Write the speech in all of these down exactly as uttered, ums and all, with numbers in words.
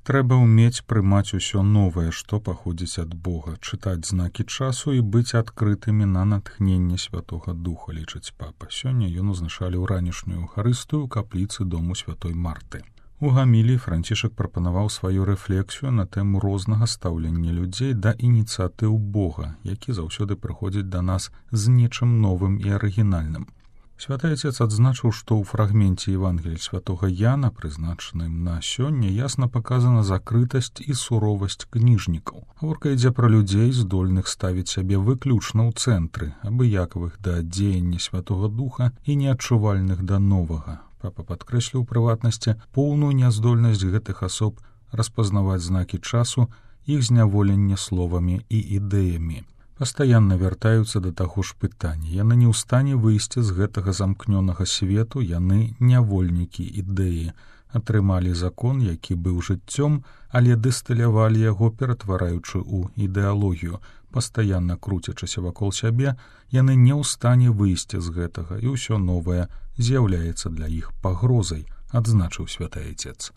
Трэба ўмець прымаць усё новае, што паходзіць ад Бога, чытаць знакі часу і быць адкрытымі на натхненне Святога Духа, лічыць папа. Сёння ён узначаліў ранішнюю эўхарыстыю ў капліцы дому святой Марты. У гаміліі Францішак прапанаваў сваю рэфлексію на тэму рознага стаўлення людзей да ініцыятыў Бога, які заўсёды прыходзіць да нас з нечым новым і арыгінальным. Святы Отец адзначыў, што ў фрагменце Евангелія святога Яна, прызначаным на сёння, ясна паказана закрытасць і суровасць кніжнікаў. Гаворка ідзе пра людзей, здольных ставіць сябе выключна ў цэнтры, абыякавых да дзеяння Святога Духа і неадчувальных да новага. Папа падкрэсліў у прыватнасці поўную няздольнасць гэтых асоб распазнаваць знакі часу, іх зняволенне словамі і ідэямі. Пастаянна вяртаюцца да таго ж пытання. Яны не ў стане выйсці з гэтага замкнёнага свету, яны нявольнікі ідэі. Атрымалі закон, які быў жыццём, але дыстылявалі яго, ператвараючы ў ідэалогію. Пастаянна круцячыся вакол сябе, яны не ў стане выйсці з гэтага, і ўсё новае з'яўляецца для іх пагрозай, адзначыў Святы Отец.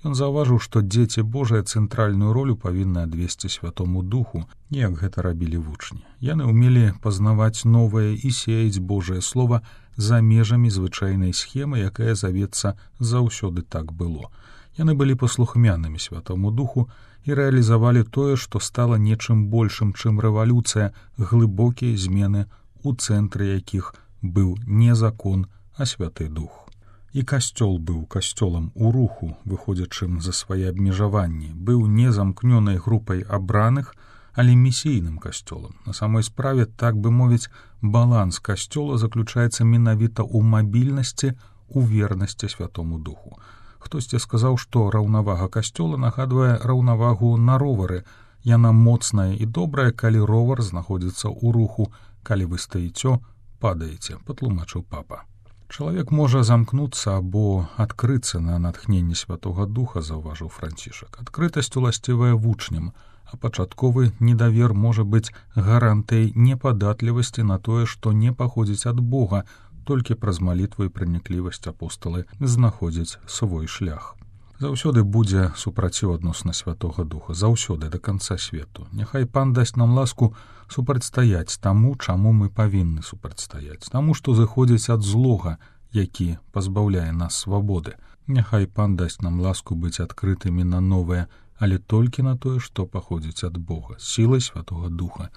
Ён заўважыў, што дзеці Божыя цэнтральную ролю павінны адвесці Святому Духу, як гэта рабілі вучні. Яны ўмелі пазнаваць новае і сеяць Божае Слова за межамі звычайнай схемы, якая завецца «заўсёды так было». Яны былі паслухмянымі Святому Духу і рэалізавалі тое, што стала нечым большым, чым рэвалюцыя, глыбокія змены, у цэнтры якіх быў не закон, а Святы Дух. І касцёл быў касцёлам у руху, выходзячым за свае абмежаванні, быў не замкнёнай групай абраных, але місійным касцёлам. На самой справе, так бы мовіць, баланс касцёла заключаецца менавіта ў мабільнасці, у вернасці Святому Духу. Хтосьці сказаў, што раўнавага касцёла нагадвае раўнавагу на ровары. Яна моцная і добрая, калі ровар знаходзіцца ў руху, калі вы стаіцё, падаеце, патлумачыў папа. Чалавек можа замкнуцца або адкрыцца на натхненне Святога Духа, заўважыў Францішак. Адкрытасць уласцівая вучням, а пачатковы недавер можа быць гарантыяй непадатлівасці на тое, што не паходзіць ад Бога, толькі праз малітву і праніклівасць апосталы знаходзяць свой шлях. Заўсёды будзе супраціў адносна Святога Духа, заўсёды да канца свету. Няхай Пан дасць нам ласку супрацьстаяць таму, чаму мы павінны супрацьстаяць, таму, што зыходзіць ад злога, які пазбаўляе нас свабоды. Няхай Пан дасць нам ласку быць адкрытымі на новае, але толькі на тое, што паходзіць ад Бога, сілай Святога Духа.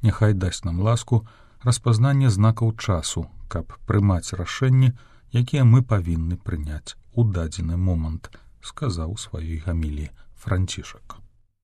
Няхай дасць нам ласку распазнання знакаў часу, каб прымаць рашэнні, якія мы павінны прыняць у дадзены момант, сказаў у сваёй гаміліі Францішак.